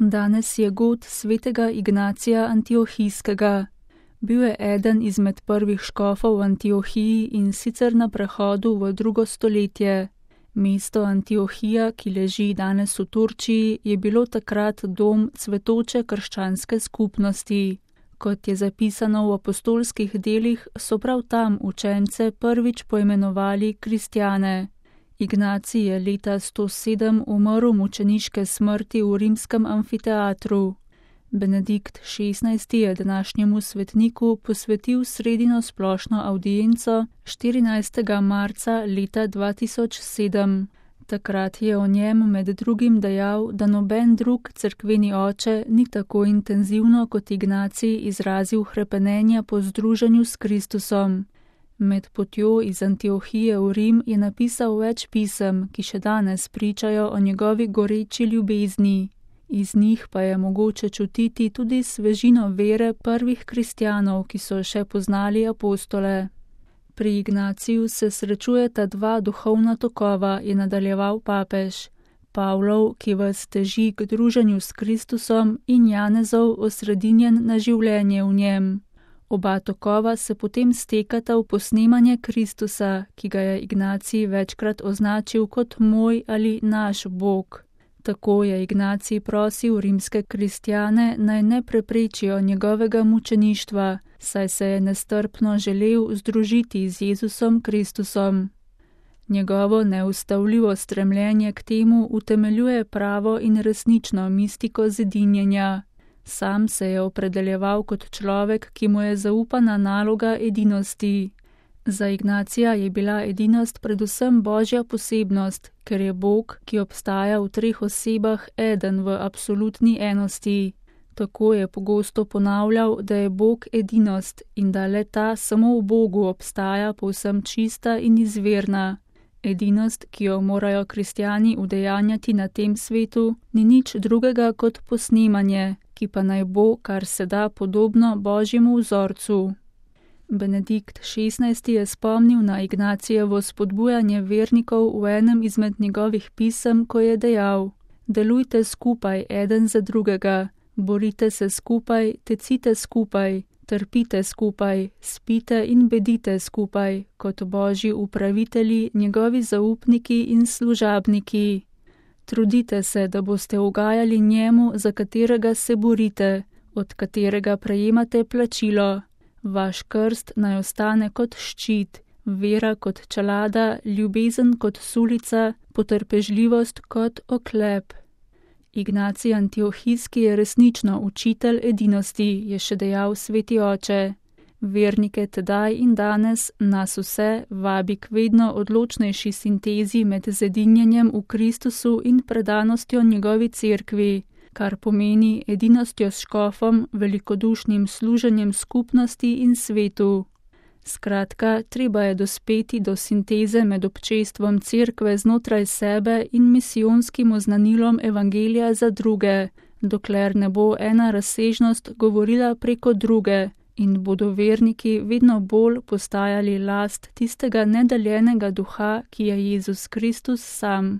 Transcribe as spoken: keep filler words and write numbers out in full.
Danes je god svetega Ignacija Antiohijskega. Bil je eden izmed prvih škofov v Antiohiji in sicer na prehodu v drugo stoletje. Mesto Antiohija, ki leži danes v Turčiji, je bilo takrat dom cvetoče krščanske skupnosti. Kot je zapisano v apostolskih delih, so prav tam učence prvič poimenovali kristjane. Ignacij je leta sto sedem umrl mučeniške smrti v rimskem amfiteatru. Benedikt šestnajsti je današnjemu svetniku posvetil sredino splošno avdienco štirinajstega marca leta dva tisoč sedem. Takrat je o njem med drugim dejal, da noben drug cerkveni oče ni tako intenzivno kot Ignacij izrazil hrepenenja po združenju s Kristusom. Med potjo iz Antiohije v Rim je napisal več pisem, ki še danes pričajo o njegovi goreči ljubezni. Iz njih pa je mogoče čutiti tudi svežino vere prvih kristjanov, ki so še poznali apostole. Pri Ignaciju se srečujeta dva duhovna tokova, je nadaljeval papež. Pavlov, ki vas teži k druženju s Kristusom, in Janezov, osredinjen na življenje v njem. Oba tokova se potem stekata v posnemanje Kristusa, ki ga je Ignacij večkrat označil kot moj ali naš Bog. Tako je Ignacij prosil rimske kristjane, naj ne preprečijo njegovega mučeništva, saj se je nestrpno želel združiti z Jezusom Kristusom. Njegovo neustavljivo stremljenje k temu utemeljuje pravo in resnično mistiko zedinjenja. Sam se je opredeljeval kot človek, ki mu je zaupana naloga edinosti. Za Ignacija je bila edinost predvsem božja posebnost, ker je Bog, ki obstaja v treh osebah, eden v absolutni enosti. Tako je pogosto ponavljal, da je Bog edinost in da le ta samo v Bogu obstaja povsem čista in izvirna. Edinost, ki jo morajo kristjani udejanjati na tem svetu, ni nič drugega kot posnemanje, ki pa naj bo, kar se da, podobno božjemu vzorcu. Benedikt šestnajsti je spomnil na Ignacijevo spodbujanje vernikov v enem izmed njegovih pisem, ko je dejal: delujte skupaj eden za drugega, borite se skupaj, tecite skupaj, trpite skupaj, spite in bedite skupaj, kot božji upravitelji, njegovi zaupniki in služabniki. Trudite se, da boste ugajali njemu, za katerega se borite, od katerega prejemate plačilo. Vaš krst naj ostane kot ščit, vera kot čelada, ljubezen kot sulica, potrpežljivost kot oklep. Ignacij Antiohijski je resnično učitelj edinosti, je še dejal sveti oče. Vernike tedaj in danes nas vse vabi k vedno odločnejši sintezi med zedinjenjem v Kristusu in predanostjo njegovi cerkvi, kar pomeni edinostjo s škofom, velikodušnim služenjem skupnosti in svetu. Skratka, treba je dospeti do sinteze med občestvom cerkve znotraj sebe in misijonskim oznanilom evangelija za druge, dokler ne bo ena razsežnost govorila preko druge in bodo verniki vedno bolj postajali last tistega nedeljenega duha, ki je Jezus Kristus sam.